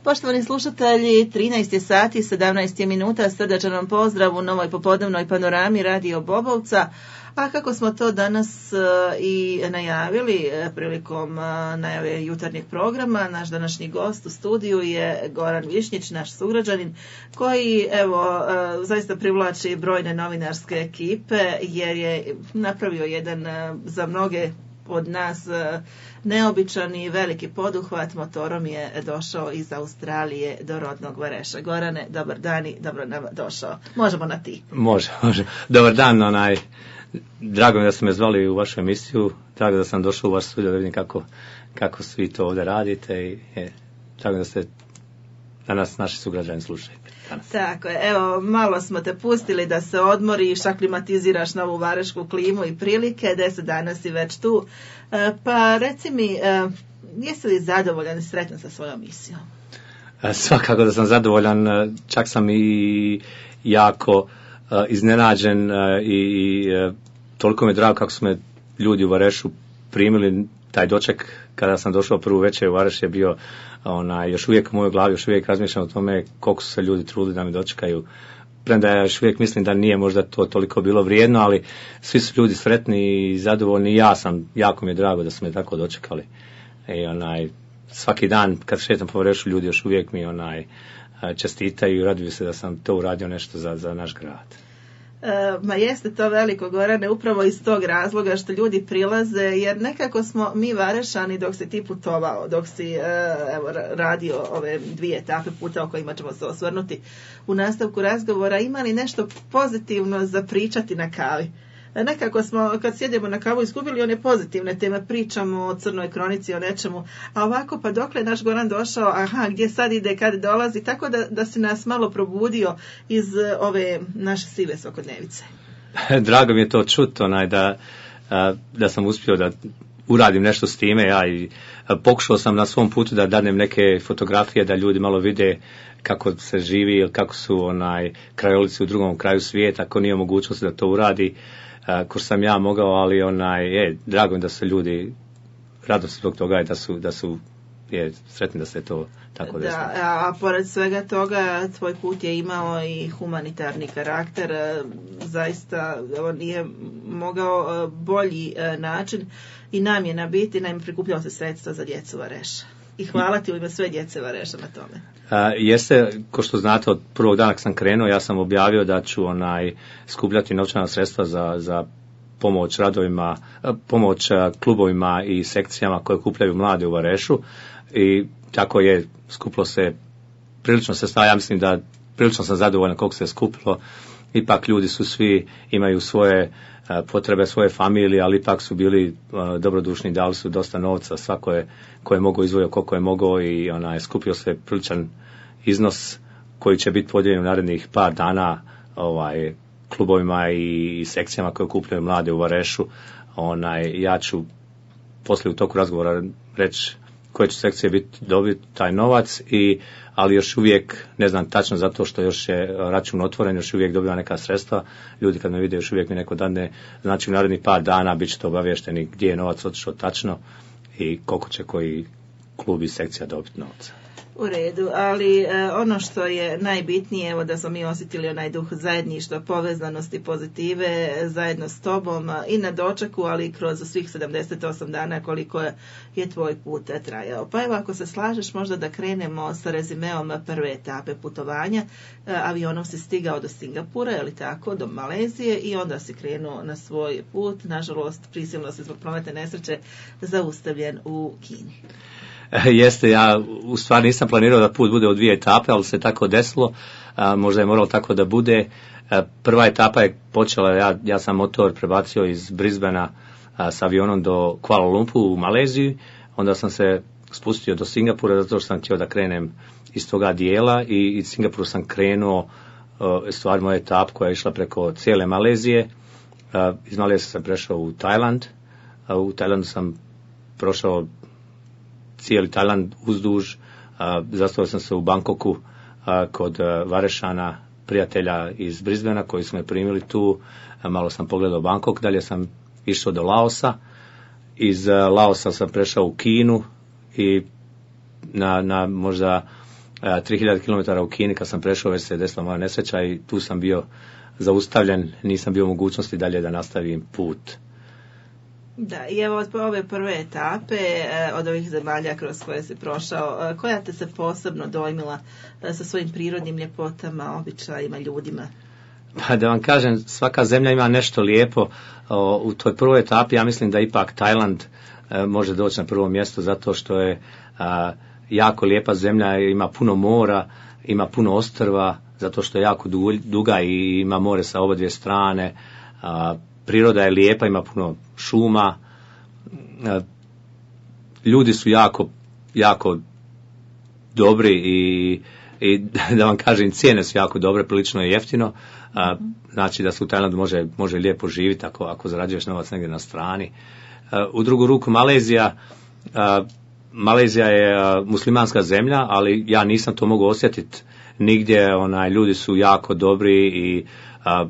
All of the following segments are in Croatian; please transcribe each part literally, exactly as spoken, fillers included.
Poštovani slušatelji, trinaest je sati, sedamnaest je minuta, srdačan vam pozdrav u novoj popodnevnoj panorami Radio Bobovca. A kako smo to danas uh, i najavili uh, prilikom uh, najave jutarnjeg programa, naš današnji gost u studiju je Goran Višnjić, naš sugrađanin, koji evo uh, zaista privlači brojne novinarske ekipe jer je napravio jedan uh, za mnoge od nas uh, neobičan i veliki poduhvat. Motorom je došao iz Australije do rodnog Vareša. Gorane, dobar dan i dobro nam došao. Možemo na ti. Može, može. Dobar dan, onaj... Drago mi da ste me zvali u vašu emisiju, drago da sam došao u vaš studio da vidim kako, kako svi to ovdje radite i je, drago da ste danas naši sugrađani slušaju. Danas. Tako je, evo malo smo te pustili da se odmoriš, aklimatiziraš na ovu varešku klimu i prilike, deset dana si već tu, e, pa reci mi, e, jesi li zadovoljan i sretan sa svojom misijom? E, svakako da sam zadovoljan, čak sam i jako Uh, iznenađen uh, i, i uh, toliko mi je drago kako su me ljudi u Varešu primili. Taj doček kada sam došao prvu večer u Vareš je bio onaj, još uvijek u mojoj glavi, još uvijek razmišljam o tome koliko su se ljudi trudili da me dočekaju. Premda ja još uvijek mislim da nije možda to toliko bilo vrijedno, ali svi su ljudi sretni i zadovoljni i ja sam, jako mi je drago da su me tako dočekali. I onaj, svaki dan kad šetam po Varešu ljudi još uvijek mi onaj čestitaju i raduju se da sam to uradio nešto za, za naš grad. E, ma jeste to veliko, Gorane, upravo iz tog razloga što ljudi prilaze, jer nekako smo mi Varešani dok si ti putovao, dok si e, evo, radio ove dvije etape puta o kojima ćemo se osvrnuti u nastavku razgovora, imali nešto pozitivno za pričati na kavi. Nekako smo, kad sjedemo na kavu, izgubili one pozitivne teme, pričamo o crnoj kronici, o nečemu, a ovako pa dokle naš Goran došao, aha, gdje sad ide, kad dolazi, tako da, da si nas malo probudio iz ove naše sive svakodnevice. Drago mi je to čuti, onaj, da, da sam uspio da uradim nešto s time, ja i pokušao sam na svom putu da danem neke fotografije, da ljudi malo vide kako se živi ili kako su onaj krajolici u drugom kraju svijeta, ako nije mogućnost da to uradi. Uh, ko sam ja mogao, ali onaj, je, drago mi da su ljudi radosti zbog toga i da su, da su je, sretni da se to tako desilo. Da, a, a pored svega toga, tvoj put je imao i humanitarni karakter, zaista on nije mogao bolji način i namjena biti, naime prikupljao se sredstva za djecu Vareša. I hvala ti u ime sve djece Vareša na tome. A, jeste, ko što znate, od prvog dana kad sam krenuo, ja sam objavio da ću onaj skupljati novčana sredstva za, za pomoć radovima, pomoć klubovima i sekcijama koje kupljaju mlade u Varešu i tako je skupilo se prilično sredstava. Ja mislim da prilično sam zadovoljan koliko se skupilo. Ipak ljudi su svi, imaju svoje potrebe, svoje familije, ali ipak su bili uh, dobrodušni, dali su dosta novca, svako je ko je mogao izvojio koliko je mogao i onaj, skupio se priličan iznos koji će biti podijeljen u narednih par dana ovaj, klubovima i, i sekcijama koje kupljaju mlade u Varešu. Onaj, ja ću poslije u toku razgovora reći koje će sekcije biti dobiti taj novac, i, ali još uvijek ne znam tačno zato što još je račun otvoren, još uvijek dobiva neka sredstva. Ljudi kad me vide još uvijek mi neko dane, znači u narednih par dana bit ćete obavješteni gdje je novac otišao tačno i koliko će koji klub i sekcija dobiti novca. U redu, ali e, ono što je najbitnije, evo da smo mi osjetili onaj duh zajedništva, povezanosti, pozitive, zajedno s tobom i na dočeku, ali i kroz svih sedamdeset osam dana koliko je, je tvoj put trajao. Pa evo, ako se slažeš, možda da krenemo sa rezimeom prve etape putovanja. E, avionom si stigao do Singapura, je li tako, do Malezije, i onda si krenuo na svoj put. Nažalost, prisilno si zbog prometne nesreće zaustavljen u Kini. Jeste, ja u stvari nisam planirao da put bude u dvije etape, ali se tako desilo, a, možda je moralo tako da bude. A, prva etapa je počela, ja, ja sam motor prebacio iz Brisbanea a, s avionom do Kuala Lumpur u Maleziji, onda sam se spustio do Singapura zato što sam htio da krenem iz toga dijela, i iz Singapura sam krenuo a, stvar moja etap koja je išla preko cijele Malezije. A, iz Malezije sam prešao u Tajland, a, u Tajlandu sam prošao cijeli Tajland uzduž, zastao sam se u Bangkoku a, kod a, Varešana, prijatelja iz Brisbanea koji su me primili tu, a, malo sam pogledao Bangkok, dalje sam išao do Laosa, iz a, Laosa sam prešao u Kinu i na, na možda tri hiljade kilometara u Kini, kad sam prešao već se desila moja nesreća i tu sam bio zaustavljen, nisam bio u mogućnosti dalje da nastavim put. Da, i evo od ove prve etape, od ovih zemalja kroz koje si prošao, koja te se posebno dojmila sa svojim prirodnim ljepotama, običajima, ljudima? Pa da vam kažem, svaka zemlja ima nešto lijepo. U toj prvoj etapi ja mislim da ipak Tajland može doći na prvo mjesto zato što je jako lijepa zemlja, ima puno mora, ima puno ostrva, zato što je jako duga i ima more sa obadvije strane. Priroda je lijepa, ima puno šuma. Ljudi su jako, jako dobri i, i da vam kažem, cijene su jako dobre, prilično je jeftino. Znači da se u Tajlandu može, može lijepo živjeti ako, ako zarađuješ novac negdje na strani. U drugu ruku Malezija, Malezija je muslimanska zemlja, ali ja nisam to mogao osjetiti nigdje. Onaj, ljudi su jako dobri i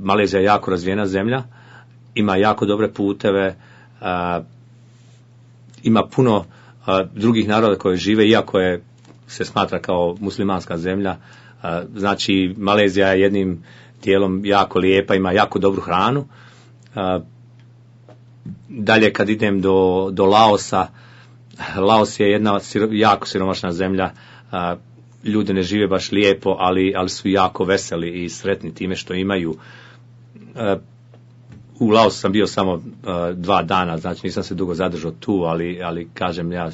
Malezija je jako razvijena zemlja. Ima jako dobre puteve, a, ima puno a, drugih naroda koji žive, iako je se smatra kao muslimanska zemlja. A, znači, Malezija je jednim dijelom jako lijepa, ima jako dobru hranu. A, dalje kad idem do, do Laosa, Laos je jedna siro, jako siromašna zemlja, a, ljudi ne žive baš lijepo, ali, ali su jako veseli i sretni time što imaju. A, U Laosu sam bio samo uh, dva dana, znači nisam se dugo zadržao tu, ali, ali kažem ja,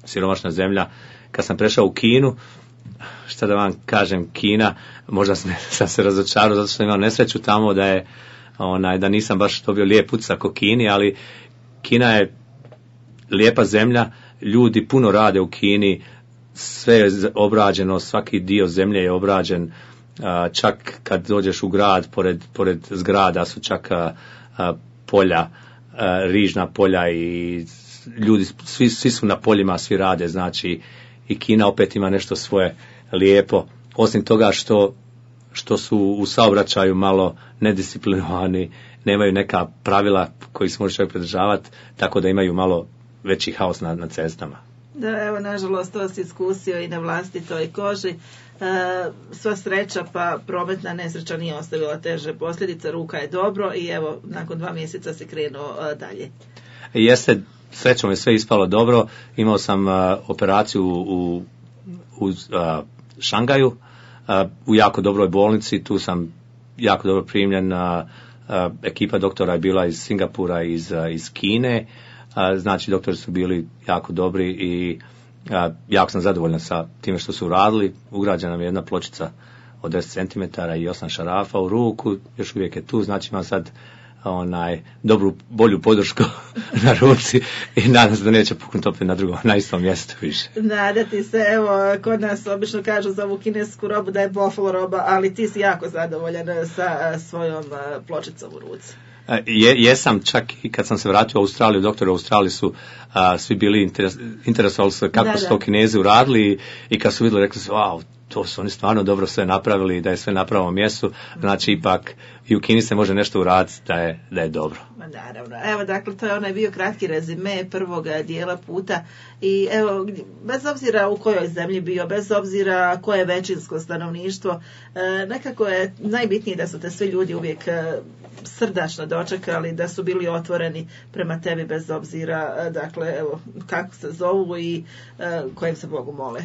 siromašna zemlja. Kad sam prešao u Kinu, šta da vam kažem, Kina, možda sam, sam se razočarao zato što sam imao nesreću tamo da je, onaj, da nisam baš dobio lijep utisak o Kini, ali Kina je lijepa zemlja, ljudi puno rade u Kini, sve je obrađeno, svaki dio zemlje je obrađen. Uh, čak kad dođeš u grad, pored, pored zgrada su čak uh, uh, polja, uh, rižna polja i ljudi, svi, svi su na poljima, svi rade, znači i Kina opet ima nešto svoje lijepo, osim toga što, što su u saobraćaju malo nedisciplinovani, nemaju neka pravila koji se može čovjek pridržavati, tako da imaju malo veći haos na, na cestama. Da, evo, nažalost, to si iskusio i na vlastitoj koži. E, sva sreća, pa prometna nesreća nije ostavila teže posljedice, ruka je dobro i evo, nakon dva mjeseca si krenuo a, dalje. Jeste, srećom je sve ispalo dobro. Imao sam a, operaciju u, u a, Šangaju, a, u jako dobroj bolnici, tu sam jako dobro primljen. A, a, ekipa doktora je bila iz Singapura, iz, a, iz Kine. A, znači doktori su bili jako dobri i a, jako sam zadovoljan sa time što su uradili. Ugrađena mi je jedna pločica od deset centimetara i osam šarafa u ruku, još uvijek je tu, znači imam sad onaj dobru, bolju podršku na ruci i nadam se da neće puknuti opet na drugom, na istom mjestu više. Nadati se, evo, kod nas obično kažu za ovu kinesku robu da je buffalo roba, ali ti si jako zadovoljan sa svojom pločicom u ruci. Je, jesam, čak i kad sam se vratio u Australiju, doktori u Australiji su a, svi bili interes, interesovali se kako da, su to Kinezi uradili i, i kad su vidjeli, rekli su, wow, to su oni stvarno dobro sve napravili, da je sve na pravom mjestu, znači ipak i u Kini se može nešto uraditi da je, da je dobro. Naravno. Evo, dakle, to je onaj bio kratki rezime prvog dijela puta i evo, bez obzira u kojoj zemlji bio, bez obzira koje je većinsko stanovništvo, nekako je najbitnije da su te svi ljudi uvijek srdačno dočekali, da su bili otvoreni prema tebi bez obzira, dakle, evo, kako se zovu i kojem se Bogu mole.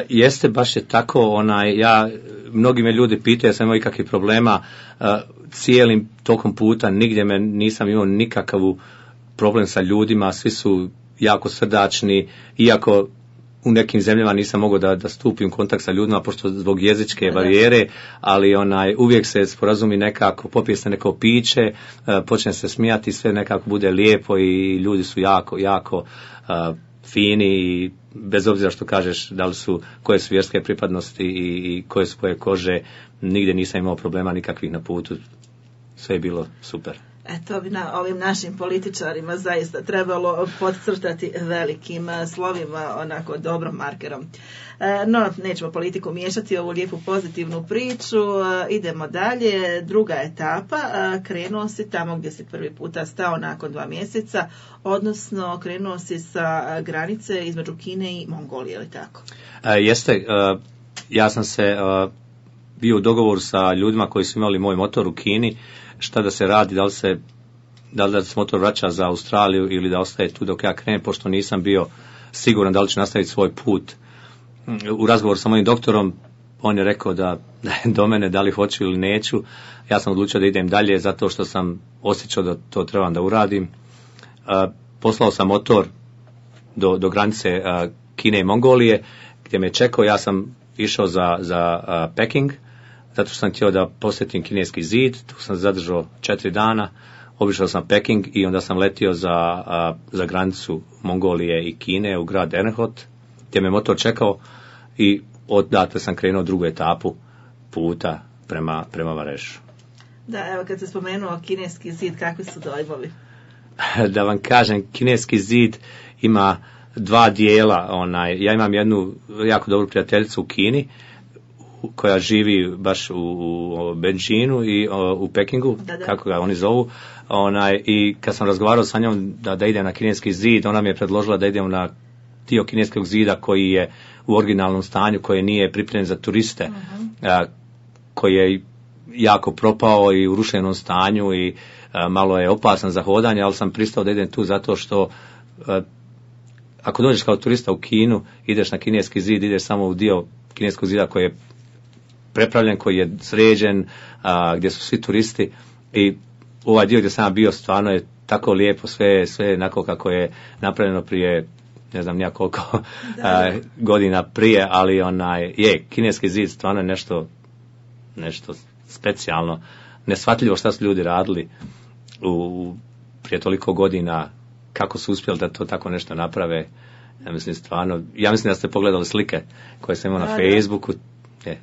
Jeste, baš je tako, onaj, ja, mnogi me ljudi pitaju, ja sam imao ikakvih problema, uh, cijelim tokom puta, nigdje me nisam imao nikakav problem sa ljudima, svi su jako srdačni, iako u nekim zemljama nisam mogao da, da stupim u kontakt sa ljudima, pošto zbog jezičke barijere, ali onaj, uvijek se sporazumi nekako, popije se neko piće, uh, počne se smijati, sve nekako bude lijepo i ljudi su jako, jako uh, fini i bez obzira što kažeš da li su, koje su vjerske pripadnosti i, i koje su koje kože, nigdje nisam imao problema nikakvih na putu, sve je bilo super. E, to bi na ovim našim političarima zaista trebalo podcrtati velikim slovima, onako dobrom markerom. E, no, nećemo politiku miješati, ovu lijepu pozitivnu priču, e, idemo dalje, druga etapa, e, krenuo si tamo gdje si prvi puta stao nakon dva mjeseca, odnosno krenuo si sa granice između Kine i Mongolije, ili tako? E, jeste, e, ja sam se uh, bio u dogovoru sa ljudima koji su imali moj motor u Kini, šta da se radi, da li se da li da se motor vraća za Australiju ili da ostaje tu dok ja krenem, pošto nisam bio siguran da li će nastaviti svoj put. U razgovoru sa mojim doktorom, on je rekao da, da je do mene, da li hoću ili neću. Ja sam odlučio da idem dalje zato što sam osjećao da to trebam da uradim. Uh, poslao sam motor do, do granice uh, Kine i Mongolije, gdje me čekao. Ja sam išao za, za uh, Peking, zato što sam htio da posjetim kineski zid. Tu sam zadržao četiri dana. Obišao sam Peking i onda sam letio za, uh, za granicu Mongolije i Kine u grad Ernhot, gdje me motor čekao i odatle sam krenuo drugu etapu puta prema, prema Varešu. Da, evo kad se spomenuo kineski zid, kakvi su dojmovi? Da vam kažem, kineski zid ima dva dijela. Onaj, ja imam jednu jako dobru prijateljicu u Kini, koja živi baš u, u Beijingu i o, u Pekingu, da, da. Kako ga oni zovu. Onaj, i kad sam razgovarao sa njom da, da idem na kineski zid, ona mi je predložila da idem na dio kineskog zida koji je u originalnom stanju, koji nije pripremljen za turiste, uh-huh. a, koji je jako propao i u rušenom stanju i a, malo je opasan za hodanje, ali sam pristao da idem tu zato što a, ako dođeš kao turista u Kinu, ideš na kineski zid, ideš samo u dio kineskog zida koji je prepravljen, koji je sređen, a, gdje su svi turisti, i ovaj dio gdje sam bio stvarno je tako lijepo, sve, sve onako kako je napravljeno prije ne znam nija koliko a, godina prije, ali onaj, je, kineski zid stvarno je nešto, nešto specijalno, neshvatljivo šta su ljudi radili u, prije toliko godina, kako su uspjeli da to tako nešto naprave. Ja mislim stvarno, ja mislim da ste pogledali slike koje sam imao na Facebooku. Je.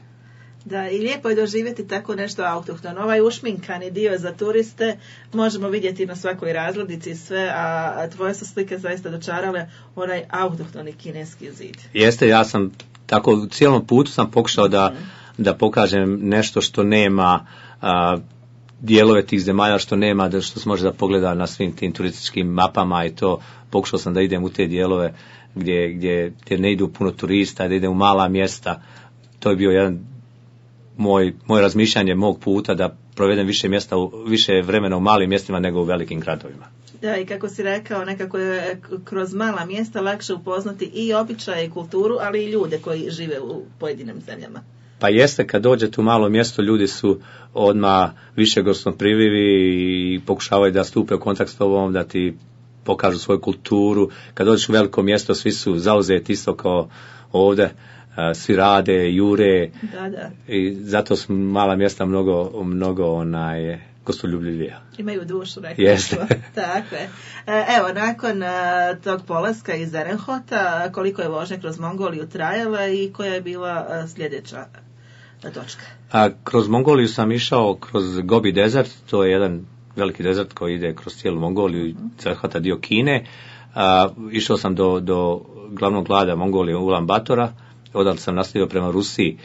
Da, i lijepo je doživjeti tako nešto autohtono. Ovaj ušminkani dio za turiste možemo vidjeti na svakoj razglednici i sve, a tvoje su slike zaista dočarale onaj autohtoni kineski zid. Jeste, ja sam tako u cijelom putu sam pokušao da, mm. da pokažem nešto što nema, a, dijelove tih zemalja što nema, da što se može da pogleda na svim tim turističkim mapama i to. Pokušao sam da idem u te dijelove gdje, gdje, gdje ne idu puno turista, da idem u mala mjesta. To je bio jedan moj, moj razmišljanje mog puta, da provedem više mjesta, više vremena u malim mjestima nego u velikim gradovima. Da, i kako si rekao, nekako je kroz mala mjesta lakše upoznati i običaje i kulturu, ali i ljude koji žive u pojedinim zemljama. Pa jeste, kad dođete u malo mjesto, ljudi su odmah više gostoprimljivi i pokušavaju da stupe u kontakt s tobom, da ti pokažu svoju kulturu. Kad dođeš u veliko mjesto, svi su zauzeti isto kao ovdje. Svi rade, jure, da, da. I zato su mala mjesta mnogo, mnogo onaj, gostoljubljivija. Imaju dušu, rekao. Jeste. Tako je. Evo, nakon tog polaska iz Ernhota, koliko je vožnja kroz Mongoliju trajala i koja je bila sljedeća točka? A, kroz Mongoliju sam išao kroz Gobi desert, to je jedan veliki desert koji ide kroz cijelu Mongoliju i zahvata dio Kine. A, išao sam do, do glavnog grada Mongolije, Ulan Batora. Odatle sam nastavio prema Rusiji.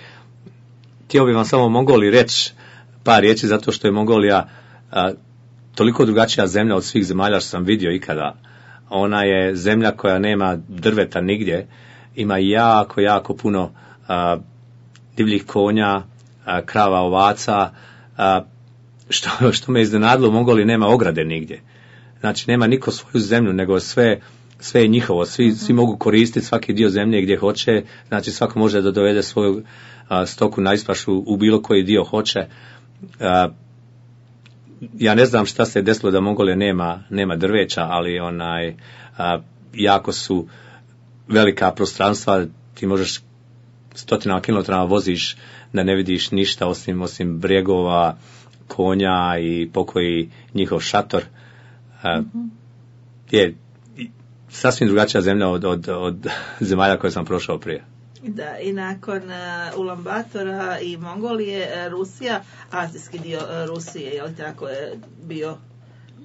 Htio bih vam samo o Mongoliji reći par riječi, zato što je Mongolija a, toliko drugačija zemlja od svih zemalja što sam vidio ikada. Ona je zemlja koja nema drveta nigdje, ima jako, jako puno a, divljih konja, a, krava, ovaca, a, što, što me iznenadilo, u Mongoliji nema ograde nigdje. Znači, nema niko svoju zemlju, nego sve sve je njihovo, svi, uh-huh. svi mogu koristiti svaki dio zemlje gdje hoće, znači svako može da dovede svoju a, stoku na ispašu u bilo koji dio hoće. A, ja ne znam šta se desilo da Mongolija nema, nema drveća, ali onaj, a, jako su velika prostranstva, ti možeš stotinama kilometara voziš da ne vidiš ništa osim, osim brijegova, konja i pokoji njihov šator. A, uh-huh. je sasvim drugačija zemlja od, od, od zemalja koje sam prošao prije. Da, i nakon uh, Ulan Batora i Mongolije, uh, Rusija, azijski dio uh, Rusije, je li tako je bio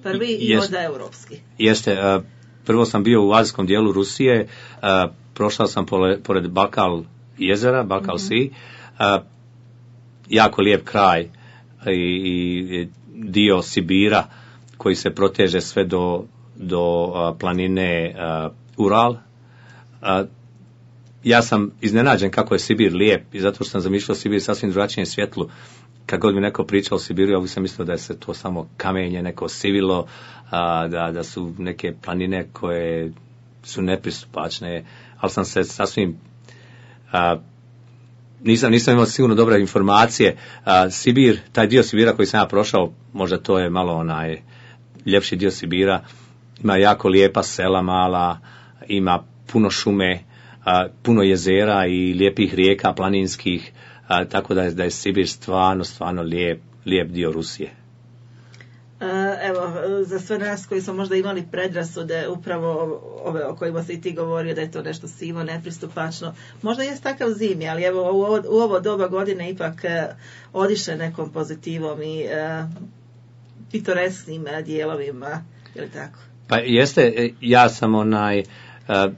prvi i Jest, možda europski? Jeste, uh, prvo sam bio u azijskom dijelu Rusije, uh, prošao sam pole, pored Balkal jezera, Balkal mm-hmm. Sea, uh, jako lijep kraj i, i dio Sibira koji se proteže sve do do a, planine a, Ural. A, ja sam iznenađen kako je Sibir lijep i zato što sam zamišljao Sibir sasvim drugačijem svjetlu. Kad god mi neko pričao o Sibiru, ja uvijek sam mislio da je se to samo kamenje, neko sivilo, a, da, da su neke planine koje su nepristupačne, ali sam se sasvim a, nisam, nisam imao sigurno dobre informacije. A, Sibir, taj dio Sibira koji sam ja prošao, možda to je malo onaj ljepši dio Sibira, ima jako lijepa sela mala, ima puno šume, a, puno jezera i lijepih rijeka planinskih, a, tako da je, da je Sibir stvarno, stvarno lijep, lijep dio Rusije. Evo, za sve nas koji smo možda imali predrasude upravo ove o kojima si i ti govorio da je to nešto sivo, nepristupačno, možda jest takav zimi, ali evo u ovo, u ovo doba godine ipak odiše nekom pozitivom i uh, pitoresknim dijelovima, je li tako? Pa jeste, ja sam onaj, uh,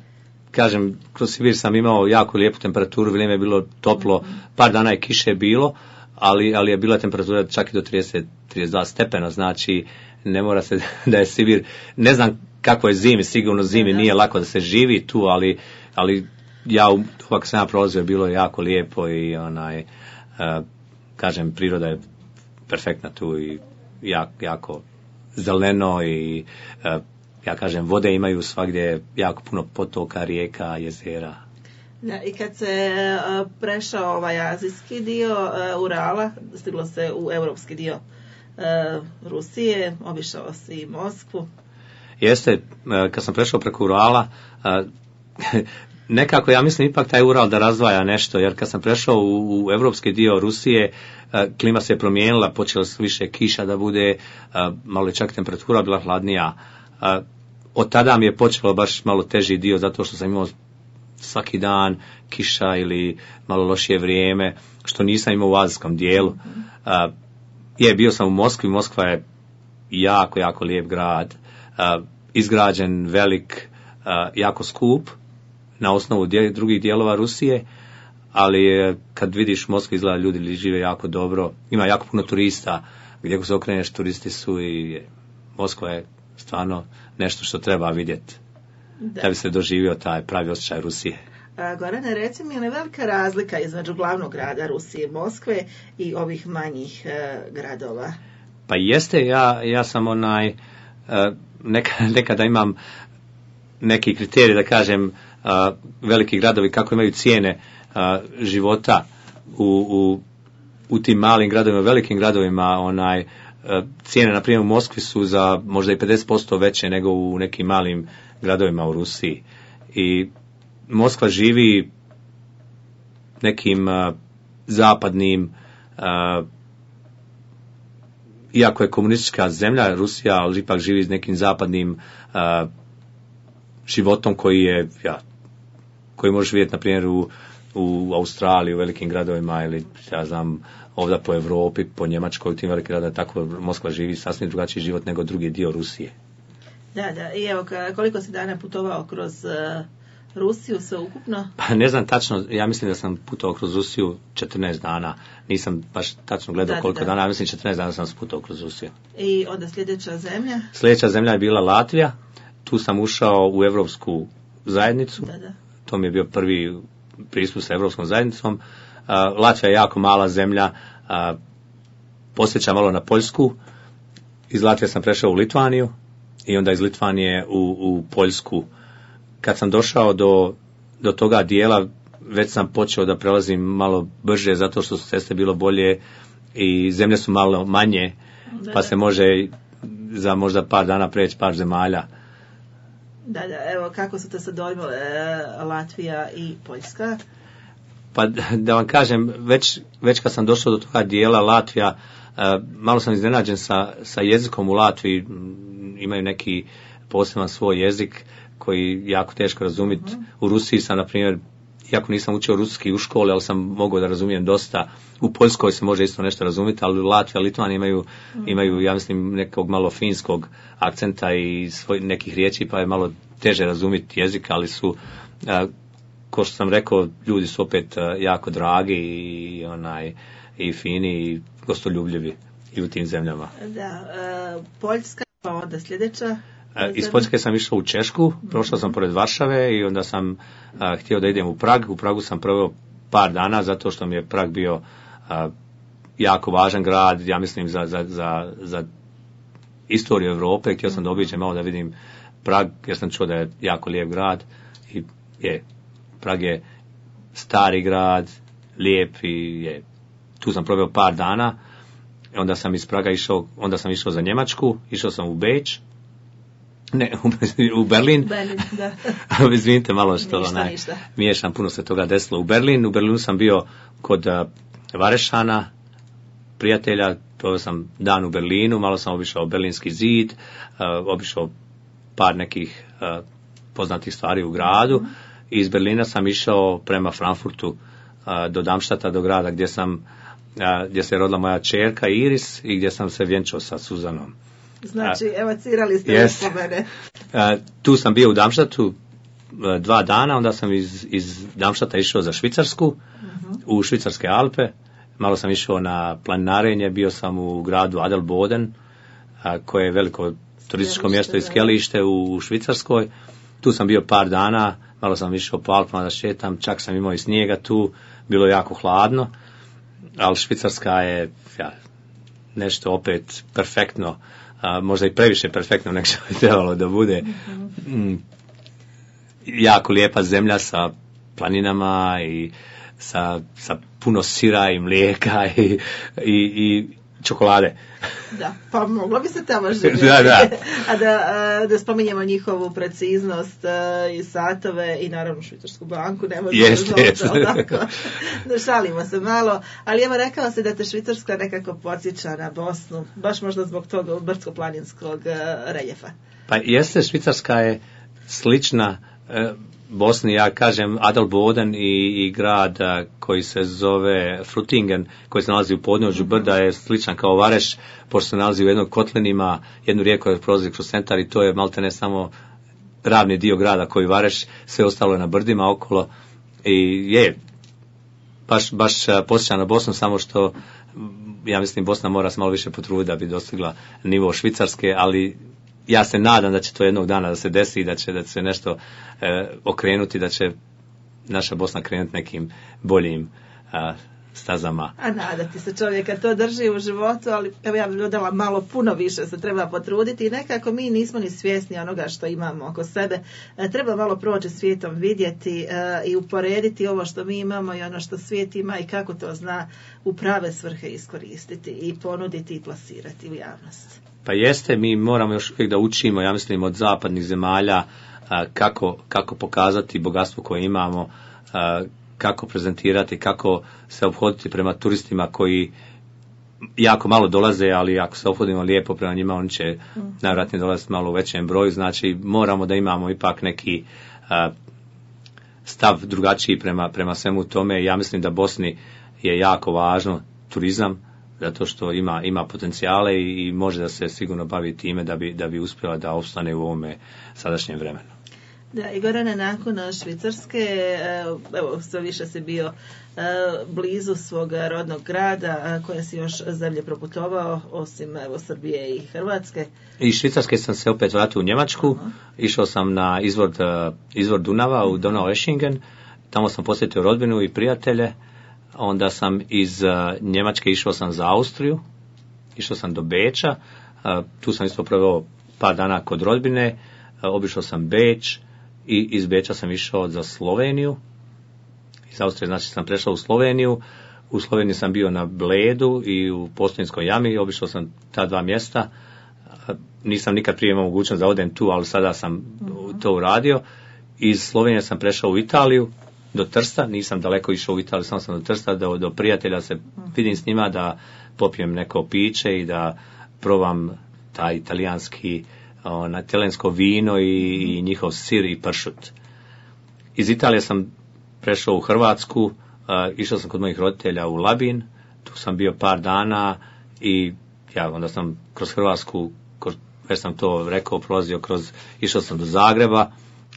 kažem, kroz Sibir sam imao jako lijepu temperaturu, vrijeme je bilo toplo, mm-hmm. par dana je kiše bilo, ali, ali je bila temperatura čak i do trideset do trideset dva stepena, znači ne mora se da je Sibir, ne znam kako je zimi, sigurno zimi nije lako da se živi tu, ali, ali ja uvijek sam ja prolazio, bilo je jako lijepo i onaj, uh, kažem, priroda je perfektna tu i jako, jako zeleno i uh, ja kažem, vode imaju svagdje jako puno potoka, rijeka, jezera. Da, i kad se uh, prešao ovaj azijski dio uh, Urala, stiglo se u europski dio uh, Rusije, obišao si i Moskvu. Jeste, uh, kad sam prešao preko Urala, uh, nekako ja mislim ipak taj Ural da razdvaja nešto, jer kad sam prešao u, u europski dio Rusije, uh, klima se je promijenila, počelo se više kiša da bude, uh, malo je čak temperatura bila hladnija. Uh, od tada mi je počelo baš malo teži dio, zato što sam imao svaki dan kiša ili malo lošije vrijeme, što nisam imao u azijskom dijelu. Uh, je, bio sam u Moskvi, Moskva je jako, jako lijep grad, uh, izgrađen, velik, uh, jako skup, na osnovu dje, drugih dijelova Rusije, ali uh, kad vidiš Moskvu izgleda ljudi žive jako dobro, ima jako puno turista, gdje se okreneš turisti su i Moskva je stvarno nešto što treba vidjeti. Da. da bi se doživio taj pravi osjećaj Rusije. A, Gorane, reci mi, je li velika razlika između glavnog grada Rusije, Moskve i ovih manjih e, gradova? Pa jeste, ja, ja sam onaj, e, neka, nekada imam neki kriterij da kažem, a, veliki gradovi kako imaju cijene a, života u, u, u tim malim gradovima, velikim gradovima, onaj, a, cijene, na primjer, u Moskvi su za možda i pedeset posto veće nego u nekim malim gradovima u Rusiji. I Moskva živi nekim uh, zapadnim, uh, iako je komunistička zemlja Rusija, ali ipak živi s nekim zapadnim uh, životom koji je, ja, koji možeš vidjeti na primjer u, u Australiji, u velikim gradovima ili ja znam ovdje po Europi, po Njemačkoj, u tim velikim gradovima, tako Moskva živi sasvim drugačiji život nego drugi dio Rusije. Da, da, i evo, koliko si dana putovao kroz uh, Rusiju sve ukupno? Pa ne znam tačno, ja mislim da sam putovao kroz Rusiju četrnaest dana, nisam baš tačno gledao da, koliko da. dana, ja mislim četrnaest dana sam putovao kroz Rusiju. I onda sljedeća zemlja? Sljedeća zemlja je bila Latvija, tu sam ušao u Europsku zajednicu, da, da. To mi je bio prvi pristup sa Europskom zajednicom. Uh, Latvija je jako mala zemlja, uh, posjeća malo na Poljsku, iz Latvije sam prešao u Litvaniju, i onda iz Litvanije u, u Poljsku. Kad sam došao do, do toga dijela, već sam počeo da prelazim malo brže, zato što su ceste bilo bolje i zemlje su malo manje, da, pa se može za možda par dana preći par zemalja. Da, da, evo, kako su te se dojmile Latvija i Poljska? Pa da vam kažem, već, već kad sam došao do toga dijela Latvija, malo sam iznenađen sa, sa jezikom u Latviji, imaju neki poseban svoj jezik koji jako teško razumjeti. Uh-huh. U Rusiji sam, na primjer, iako nisam učio ruski u školi, ali sam mogao da razumijem dosta. U Poljskoj se može isto nešto razumjeti, ali u Latviji, Litvaniji imaju, uh-huh. imaju, ja mislim, nekog malo finskog akcenta i svoj, nekih riječi, pa je malo teže razumjeti jezik, ali su, a, ko što sam rekao, ljudi su opet a, jako dragi i, onaj, i fini i gostoljubljivi i u tim zemljama. Da, uh, Poljska, pa onda sljedeća? Iz Poljske sam išao u Češku, prošao sam pored Varšave i onda sam a, htio da idem u Prag. U Pragu sam proveo par dana zato što mi je Prag bio a, jako važan grad, ja mislim za, za, za, za istoriju Europe. Htio sam da obiđem malo da vidim Prag jer sam čuo da je jako lijep grad i je, Prag je stari grad, lijep i je, tu sam proveo par dana. Onda sam iz Praga išao, onda sam išao za Njemačku, išao sam u Beč. Ne, u Berlin. Berlin, da. Izvinite malo što ništa, onaj, ništa. miješam, puno se toga desilo. U Berlin, u Berlinu sam bio kod uh, Varešana, prijatelja, proveo sam dan u Berlinu, malo sam obišao Berlinski zid, uh, obišao par nekih uh, poznatih stvari u gradu. Mm. I iz Berlina sam išao prema Frankfurtu uh, do Darmstadta, do grada gdje sam uh, gdje se je rodila moja čerka Iris i gdje sam se vjenčao sa Suzanom. Znači, uh, evocirali ste yes. uspomene. Uh, tu sam bio u Darmstadtu uh, dva dana, onda sam iz, iz Darmstadta išao za Švicarsku, uh-huh. u Švicarske Alpe. Malo sam išao na planinarenje, bio sam u gradu Adelboden, uh, koje je veliko turističko mjesto i skijalište u Švicarskoj. Tu sam bio par dana, malo sam išao po Alpama da šetam, čak sam imao i snijega tu, bilo je jako hladno, ali Švicarska je ja, nešto opet perfektno, a, možda i previše perfektno nego što bi trebalo da bude. Mm, jako lijepa zemlja sa planinama i sa, sa puno sira i mlijeka i, i, i čokolade. Da, pa moglo bi se tamo živjeti. Da, da. A da, da spominjemo njihovu preciznost i satove i naravno švicarsku banku, ne možemo yes, tako. Da šalimo se malo, ali evo rekao se da te Švicarska nekako podsjeća na Bosnu, baš možda zbog toga brdsko-planinskog reljefa. Pa jeste, Švicarska je slična e, Bosni, ja kažem Adelboden i, i grad a, koji se zove Frutingen, koji se nalazi u podnožju brda, je sličan kao Vareš, pošto se nalazi u jednom kotlinima, jednu rijeku koja prolazi kroz centar i to je malte ne samo ravni dio grada koji Vareš, sve ostalo je na brdima okolo i je baš, baš posjeća na Bosnu, samo što ja mislim Bosna mora se malo više potruditi da bi dostigla nivo Švicarske, ali ja se nadam da će to jednog dana da se desi i da će, da će se nešto e, okrenuti, da će naša Bosna krenuti nekim boljim a, stazama. A nadati se čovjeka to drži u životu, ali evo ja bih dodala malo puno više se treba potruditi i nekako mi nismo ni svjesni onoga što imamo oko sebe. E, treba malo proći svijetom, vidjeti e, i uporediti ovo što mi imamo i ono što svijet ima i kako to zna u prave svrhe iskoristiti i ponuditi i plasirati u javnost. Pa jeste, mi moramo još uvijek da učimo, ja mislim, od zapadnih zemalja a, kako, kako pokazati bogatstvo koje imamo, a, kako prezentirati, kako se ophoditi prema turistima koji jako malo dolaze, ali ako se ophodimo lijepo prema njima, oni će najvjerojatnije dolaziti malo u većem broju, znači moramo da imamo ipak neki a, stav drugačiji prema, prema svemu tome. Ja mislim da Bosni je jako važno turizam, zato što ima, ima potencijale i, i može da se sigurno bavi time da bi, da bi uspjela da opstane u ovome sadašnjem vremenu. Da, i Gorane, nakon Švicarske, evo, sve više si bio blizu svog rodnog grada, koje si još zemlje proputovao, osim evo, Srbije i Hrvatske. Iz Švicarske sam se opet vratio u Njemačku, uh-huh. Išao sam na izvor, izvor Dunava u Donau-Eschingen, tamo sam posjetio rodbinu i prijatelje. Onda sam iz uh, Njemačke išao sam za Austriju, išao sam do Beča, uh, tu sam isto proveo par dana kod rodbine, uh, obišao sam Beč i iz Beča sam išao za Sloveniju. Iz Austrije znači sam prešao u Sloveniju, u Sloveniji sam bio na Bledu i u Postojinskoj jami, obišao sam ta dva mjesta, uh, nisam nikad prije imao mogućnost da odem tu, ali sada sam uh-huh. to uradio. Iz Slovenije sam prešao u Italiju, do Trsta, nisam daleko išao u Italiju, samo sam do Trsta, do, do prijatelja se vidim s njima, da popijem neko piće i da probam taj italijanski, ona, talijansko vino i, i njihov sir i pršut. Iz Italije sam prešao u Hrvatsku, uh, išao sam kod mojih roditelja u Labin, tu sam bio par dana i ja onda sam kroz Hrvatsku, kroz, već sam to rekao, prolazio kroz, išao sam do Zagreba,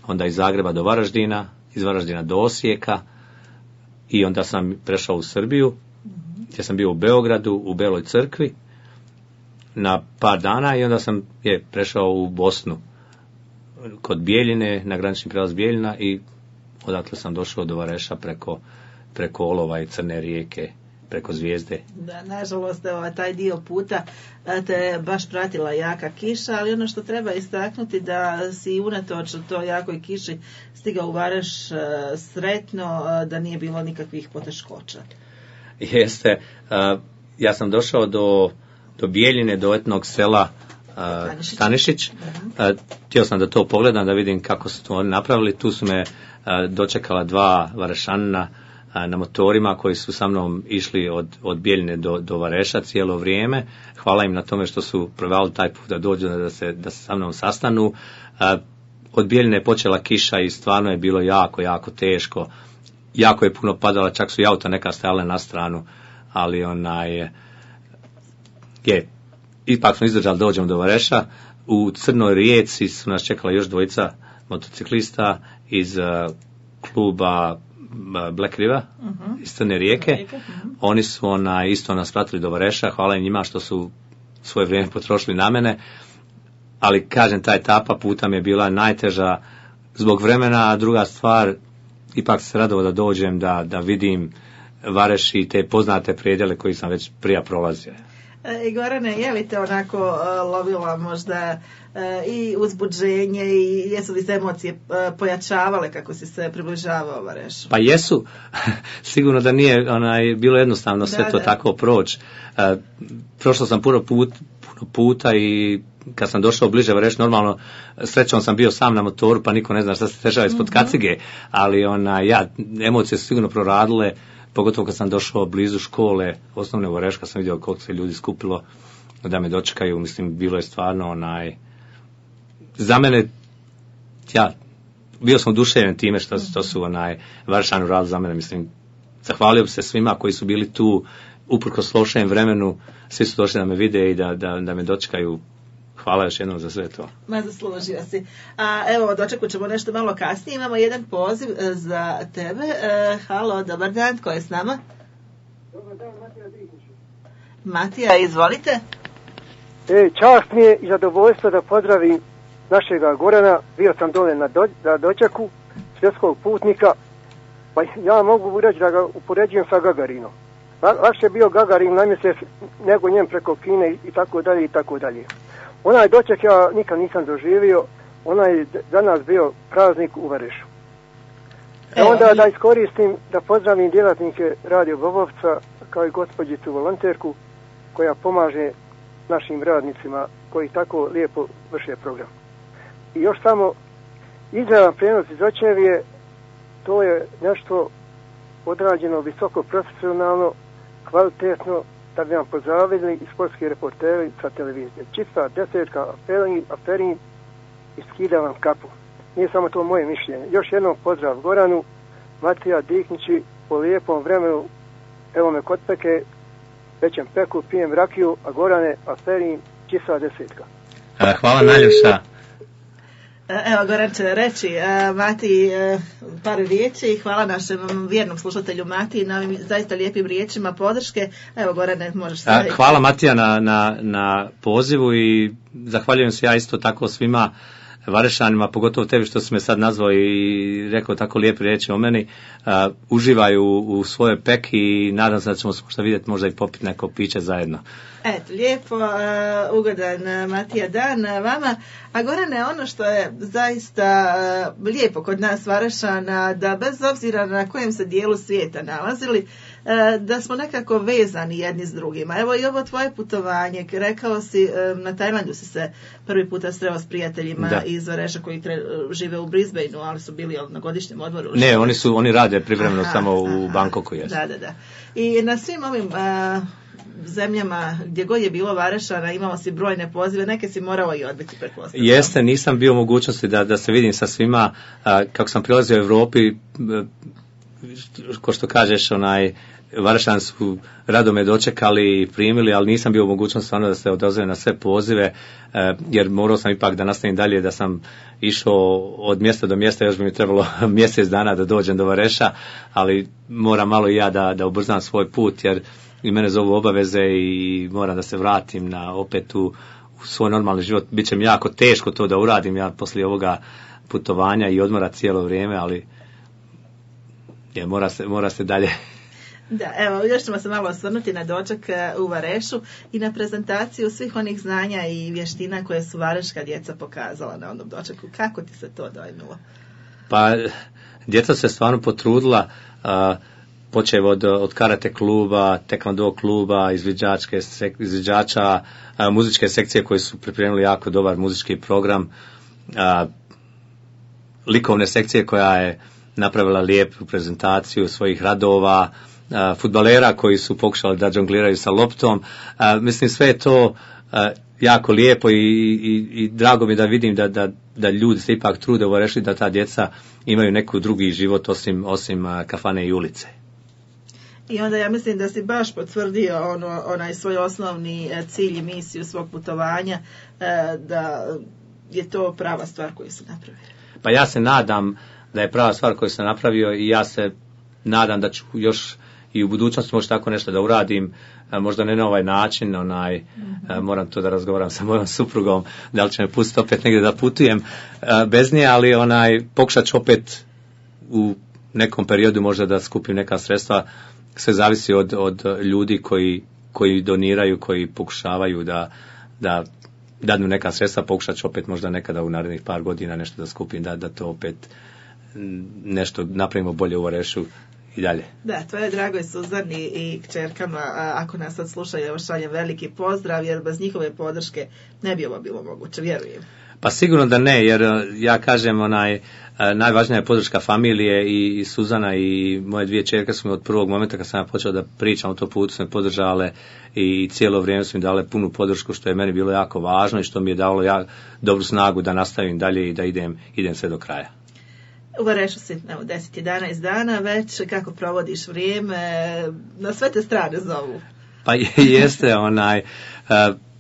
onda iz Zagreba do Varaždina, iz Varaždina do Osijeka i onda sam prešao u Srbiju, mm-hmm. gdje sam bio u Beogradu, u Beloj crkvi na par dana i onda sam je prešao u Bosnu kod Bijeljine, na granični prijelaz Bijeljina i odatle sam došao do Vareša preko, preko Olova i Crne rijeke, preko Zvijezde. Da, nažalost, evo, taj dio puta te baš pratila jaka kiša, ali ono što treba istaknuti da si unatoč toj jakoj kiši stigao u Vareš sretno, da nije bilo nikakvih poteškoća. Jeste, ja sam došao do, do Bijeljine, do etnog sela Stanišić. Stanišić. Htio sam da to pogledam, da vidim kako su to oni napravili. Tu su me dočekala dva Varešanina na motorima koji su sa mnom išli od, od Bijeljine do, do Vareša cijelo vrijeme. Hvala im na tome što su provali taj put da dođu, da se, da se sa mnom sastanu. Od Bijeljine je počela kiša i stvarno je bilo jako, jako teško. Jako je puno padala, čak su i auta neka stajale na stranu, ali onaj je, ipak smo izdržali, dođemo do Vareša. U Crnoj rijeci su nas čekala još dvojica motociklista iz uh, kluba Black River, uh-huh. iz Crne rijeke. Uh-huh. Oni su onaj, isto nas pratili do Vareša, hvala im njima što su svoje vrijeme potrošili na mene, ali kažem, ta etapa puta mi je bila najteža zbog vremena, a druga stvar, ipak se radovao da dođem, da, da vidim Vareš i te poznate predjele koji sam već prije prolazio. E, Gorane, je li te onako uh, lovila možda uh, i uzbuđenje i jesu li se emocije uh, pojačavale kako si se približavao Varešu? Pa jesu. Sigurno da nije onaj, bilo jednostavno sve da, to da. tako proći. Uh, prošao sam puno, put, puno puta i kad sam došao bliže Vareš, normalno srećom sam bio sam na motoru, pa niko ne zna šta se dešava ispod mm-hmm. kacige, ali ona, ja, emocije su sigurno proradile, pogotovo kad sam došao blizu škole osnovne Vareš, kad sam vidio koliko se ljudi skupilo da me dočekaju, mislim, bilo je stvarno onaj, za mene, ja, bio sam oduševljen time što, što su onaj Varešani uradili za mene, mislim, zahvalio bi se svima koji su bili tu, uprkos lošem vremenu, svi su došli da me vide i da, da, da me dočekaju. Hvala još jednom za sve to. Ma, zaslužio si. A evo, dočekut ćemo nešto malo kasnije. Imamo jedan poziv e, za tebe. E, halo, dobar dan, ko je s nama? Dobar dan, Matija Drihnić. Matija, izvolite. E, čast mi je i zadovoljstvo da pozdravim našega Gorana. Bio sam dole na, do, na dočeku svjetskog putnika. Pa ja mogu reći da ga upoređujem sa Gagarinom. Lakše je bio Gagarin na mjesec nego njem preko Kine i, i tako dalje i tako dalje. Onaj doček ja nikad nisam doživio, onaj za nas bio praznik u Varešu. E onda da iskoristim da pozdravim djelatnike Radio Bobovca kao i gospođicu volonterku koja pomaže našim radnicima koji tako lijepo vrše program. I još samo izravan prijenos iz Očevije, to je nešto odrađeno visoko profesionalno, kvalitetno, da bi vam pozdravili i sportski reporteri sa televizije. Čista desetka, aferin, aferin i skida vam kapu. Nije samo to moje mišljenje. Još jednom pozdrav Goranu, Matija Diknići, po lijepom vremenu, evo me kod peke, pećem peku, pijem rakiju, a Gorane, aferin, čista desetka. Hvala najljepša. Evo, Goran će reći, Mati, par riječi. Hvala našem vjernom slušatelju Mati na ovim zaista lijepim riječima podrške. Evo, Gorane, možeš staviti. Hvala Matija na, na, na pozivu i zahvaljujem se ja isto tako svima Varešanima, pogotovo tebi što si me sad nazvao i rekao tako lijepe riječi o meni. Uh, uživaju u, u svojoj peki i nadam se da ćemo možda vidjeti, možda i popiti neko piće zajedno. Eto, lijepo, uh, ugodan uh, Matija dan uh, vama. A Gorane, ono što je zaista uh, lijepo kod nas Varešana, da bez obzira na kojem se dijelu svijeta nalazili, uh, da smo nekako vezani jedni s drugima. Evo i ovo tvoje putovanje, rekao si, um, na Tajlandu si se prvi puta sreo s prijateljima da. iz Vareša koji tre, žive u Brisbaneu, ali su bili na godišnjem odmoru. Ne, oni su oni rade privremeno aha, samo u aha, Bangkoku. Jesu. Da, da, da. I na svim ovim uh, zemljama gdje god je bilo Varešana imao si brojne pozive, neke si morao i odbiti, pretpostavljam. Jeste, nisam bio u mogućnosti da, da se vidim sa svima. Uh, kako sam prilazio u Europi, uh, ko što kažeš, onaj, Varešani su rado me dočekali i primili, ali nisam bio u mogućnosti ono da se odazove na sve pozive, uh, jer morao sam ipak da nastavim dalje, da sam išao od mjesta do mjesta, još bi mi trebalo mjesec dana da dođem do Vareša, ali moram malo i ja da, da ubrzam svoj put, jer i mene zovu obaveze i moram da se vratim na opet u, u svoj normalni život. Biće mi jako teško to da uradim ja poslije ovoga putovanja i odmora cijelo vrijeme, ali je, mora, se, mora se dalje. Da, evo, još ćemo se malo osvrnuti na doček u Varešu i na prezentaciju svih onih znanja i vještina koje su vareška djeca pokazala na onom dočeku. Kako ti se to dojmilo? Pa, djeca se stvarno potrudila, uh, počev od, od karate kluba, tekvando kluba, izviđačke, sek, izviđača, uh, muzičke sekcije koji su pripremili jako dobar muzički program, uh, likovne sekcije koja je napravila lijepu prezentaciju svojih radova, uh, fudbalera koji su pokušali da džongliraju sa loptom. Uh, mislim, sve je to uh, jako lijepo i, i, i drago mi da vidim da, da, da ljudi se ipak trude u Varešu, da ta djeca imaju neku drugi život osim, osim uh, kafane i ulice. I onda ja mislim da si baš potvrdio ono, onaj svoj osnovni cilj i misiju svog putovanja, da je to prava stvar koju si napravio. Pa ja se nadam da je prava stvar koju sam napravio i ja se nadam da ću još i u budućnosti možda tako nešto da uradim, možda ne na ovaj način, onaj, mm-hmm. moram to da razgovaram sa mojom suprugom, da li će me pustiti opet negdje da putujem bez nje, ali onaj, pokušat ću opet u nekom periodu možda da skupim neka sredstva. Sve zavisi od, od ljudi koji, koji doniraju, koji pokušavaju da, da dadnu neka sredstva, pokušat ću opet možda nekada u narednih par godina nešto da skupim, da, da to opet nešto napravimo bolje u Varešu i dalje. Da, tvoje dragoj Suzani i kćerkama, ako nas sad slušaju, evo šaljem veliki pozdrav, jer bez njihove podrške ne bi ovo bilo moguće, vjerujem. Pa sigurno da ne, jer ja kažem, onaj, najvažnija je podrška familije i, i Suzana i moje dvije čerke su mi od prvog momenta kad sam ja počeo da pričam o to putu su me podržale i cijelo vrijeme su mi dale punu podršku, što je meni bilo jako važno i što mi je dalo ja dobru snagu da nastavim dalje i da idem, idem sve do kraja. U Varešu si, evo, deset jedanaest dana već, kako provodiš vrijeme, na sve te strane zovu. Pa jeste, onaj,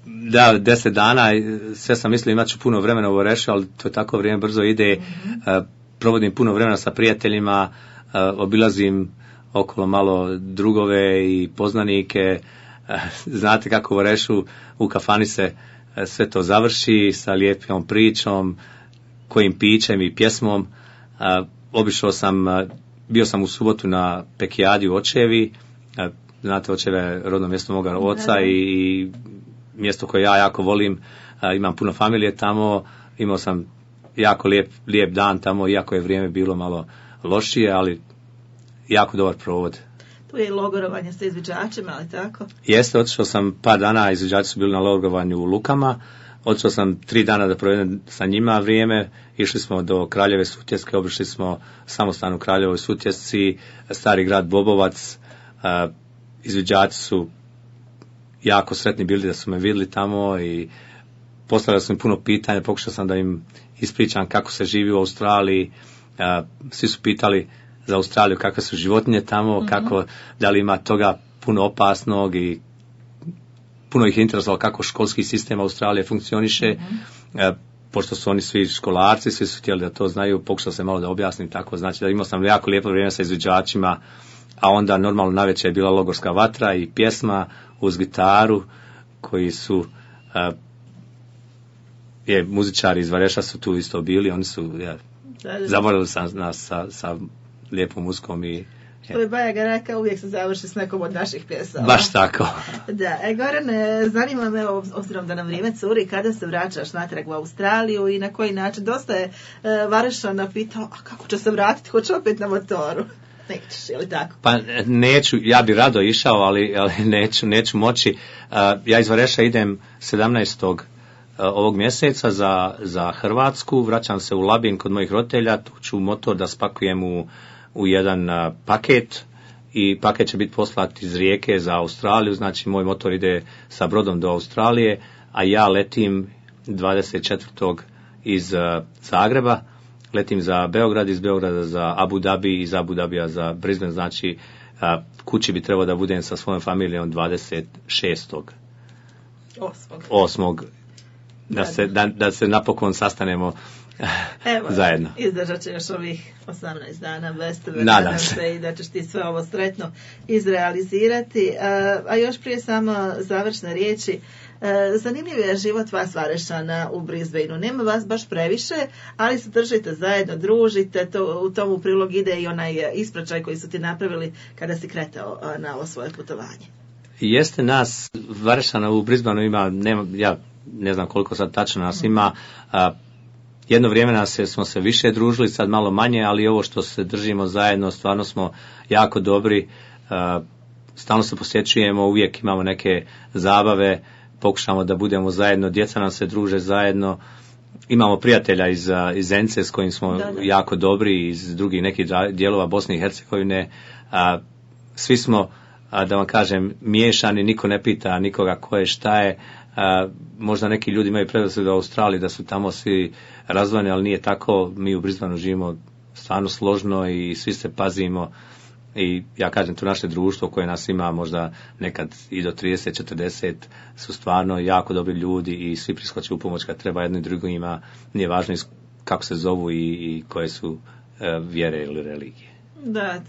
da, deset dana, sve sam mislio imat ću puno vremena u Varešu, ali to tako vrijeme brzo ide, mm-hmm. provodim puno vremena sa prijateljima, obilazim okolo malo drugove i poznanike, znate kako u Varešu u kafani se sve to završi sa lijepom pričom, kojim pićem i pjesmom. Obišao sam, bio sam u subotu na Pekijadi u Očevi, znate Očeve je rodno mjesto moga oca i, i mjesto koje ja jako volim, imam puno familije tamo, imao sam jako lijep, lijep dan tamo, iako je vrijeme bilo malo lošije, ali jako dobar provod. Tu je i logorovanje sa izviđačima, ali tako? Jeste, otišao sam par dana, izviđači su bili na logorovanju u Lukama, otišao sam tri dana da provedem sa njima vrijeme, išli smo do Kraljeve Sutjeske, obišli smo samostan u Kraljevoj Sutjesci, stari grad Bobovac, izviđači su jako sretni bili da su me vidjeli tamo i postavljali su mi puno pitanja, pokušao sam da im ispričam kako se živi u Australiji, svi su pitali za Australiju kakve su životinje tamo, mm-hmm. kako, da li ima toga puno opasnog i puno ih je interesovalo kako školski sistem Australije funkcioniše, mm-hmm. pošto su oni svi školarci, svi su htjeli da to znaju, pokušao sam malo da objasnim tako, znači da imao sam jako lijepo vrijeme sa izviđačima, a onda normalno navečer je bila logorska vatra i pjesma uz gitaru, koji su uh, je, muzičari iz Vareša su tu isto bili, oni su ja, zavolili sam nas sa, sa lijepom muzikom i što je Bajaga rekao, uvijek se završi s nekom od naših pjesama. Baš tako. Da, e, Gorane, zanima me, obzirom da nam vrijeme curi, kada se vraćaš natrag u Australiju i na koji način? Dosta je e, Varešana pitao, a kako će se vratiti, hoće opet na motoru? Nećeš, je li tako? Pa neću, ja bi rado išao, ali, ali neću, neću moći. Uh, ja iz Vareša idem sedamnaestog ovog mjeseca za, za Hrvatsku, vraćam se u Labin kod mojih roditelja, tu ću motor da spakujem u u jedan uh, paket i paket će biti poslat iz Rijeke za Australiju, znači moj motor ide sa brodom do Australije, a ja letim dvadeset četvrtog iz uh, Zagreba, letim za Beograd, iz Beograda za Abu Dhabi, iz Abu Dhabija za Brisbane, znači uh, kući bi trebao da budem sa svojom familijom dvadeset šestog osmog Da se, da, da se napokon sastanemo Evo, zajedno. Izdržat će još ovih osamnaest dana bez tebe, nadam se i da ćeš ti sve ovo sretno izrealizirati. A, a još prije samo završne riječi, Zanimljiv je život vas Varešana u Brisbaneu. Nema vas baš previše, ali se držite zajedno, družite, to, u tomu prilog ide i onaj ispraćaj koji su ti napravili kada si kretao na ovo svoje putovanje. Jeste, nas Varešana u Brisbaneu ima, nema, ja ne znam koliko sad tačno nas ima, a, jedno vrijeme nas je, smo se više družili, sad malo manje, ali ovo što se držimo zajedno, stvarno smo jako dobri, a, stalno se posjećujemo, uvijek imamo neke zabave, pokušamo da budemo zajedno, djeca nam se druže zajedno, imamo prijatelja iz, iz Zence s kojim smo da, da. jako dobri, iz drugih nekih dijelova Bosne i Hercegovine, a, svi smo, a, da vam kažem, miješani, niko ne pita nikoga ko je, šta je, a, možda neki ljudi imaju predrasudu u Australiji da su tamo svi razdvojeni, ali nije tako, mi u Brisbaneu živimo stvarno složno i svi se pazimo. I ja kažem, to naše društvo koje nas ima možda nekad i do trideset četrdeset su stvarno jako dobri ljudi i svi priskoče u pomoć kad treba jedno i drugo, ima, nije važno kako se zovu i, i koje su e, vjere ili religije. Da,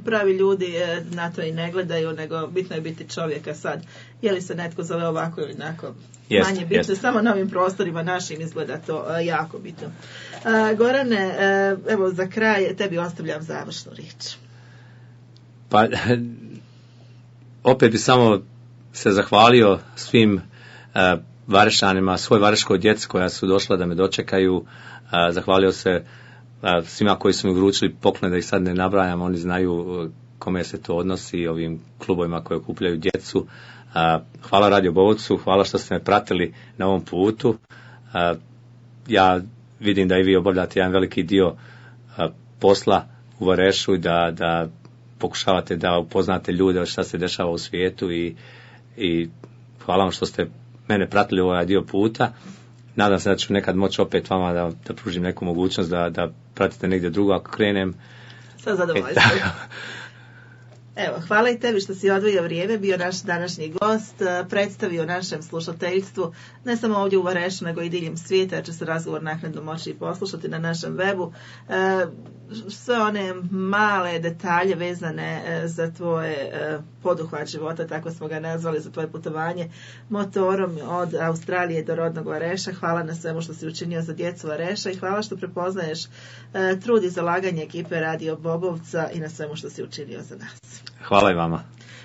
pravi ljudi na to i ne gledaju, nego bitno je biti čovjeka sad. Je li se netko zove ovako ili onako, jest, manje bitno, jest. Samo na ovim prostorima našim izgleda to uh, jako bitno. Uh, Gorane, uh, evo za kraj tebi ostavljam završnu riječ. Pa, opet bi samo se zahvalio svim uh, Varešanima, svoj vareškoj djeci koja su došla da me dočekaju. Uh, zahvalio se uh, svima koji su mi vručili poklone, da ih sad ne nabrajam, oni znaju uh, kome se to odnosi, ovim klubovima koji okupljaju djecu. Uh, hvala Radio Bobovcu, hvala što ste me pratili na ovom putu. Uh, ja vidim da i vi obavljate jedan veliki dio uh, posla u Varešu i da, da pokušavate da upoznate ljude šta se dešava u svijetu i, i hvala vam što ste mene pratili ovaj dio puta. Nadam se da ću nekad moći opet vama da, da pružim neku mogućnost da, da pratite negdje drugo ako krenem. Sa zadovoljstvom. Evo, hvala i tebi što si odvojio vrijeme, bio naš današnji gost, predstavio našem slušateljstvu, ne samo ovdje u Varešu, nego i diljem svijeta, će se razgovor naknadno moći poslušati na našem webu. E, sve one male detalje vezane za tvoje e, poduhvat života, tako smo ga nazvali, za tvoje putovanje motorom od Australije do rodnog Vareša. Hvala na svemu što si učinio za djecu Vareša i hvala što prepoznaješ e, trud i zalaganje ekipe Radio Bobovca i na svemu što si učinio za nas. Hvala i vama.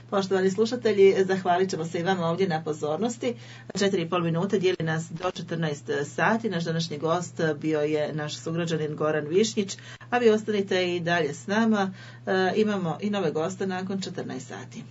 Poštovani slušatelji, zahvalit ćemo se i vama ovdje na pozornosti. Četiri i pol minute dijeli nas do četrnaest sati. Naš današnji gost bio je naš sugrađanin Goran Višnjić, a vi ostanite i dalje s nama. E, imamo i nove goste nakon četrnaest sati.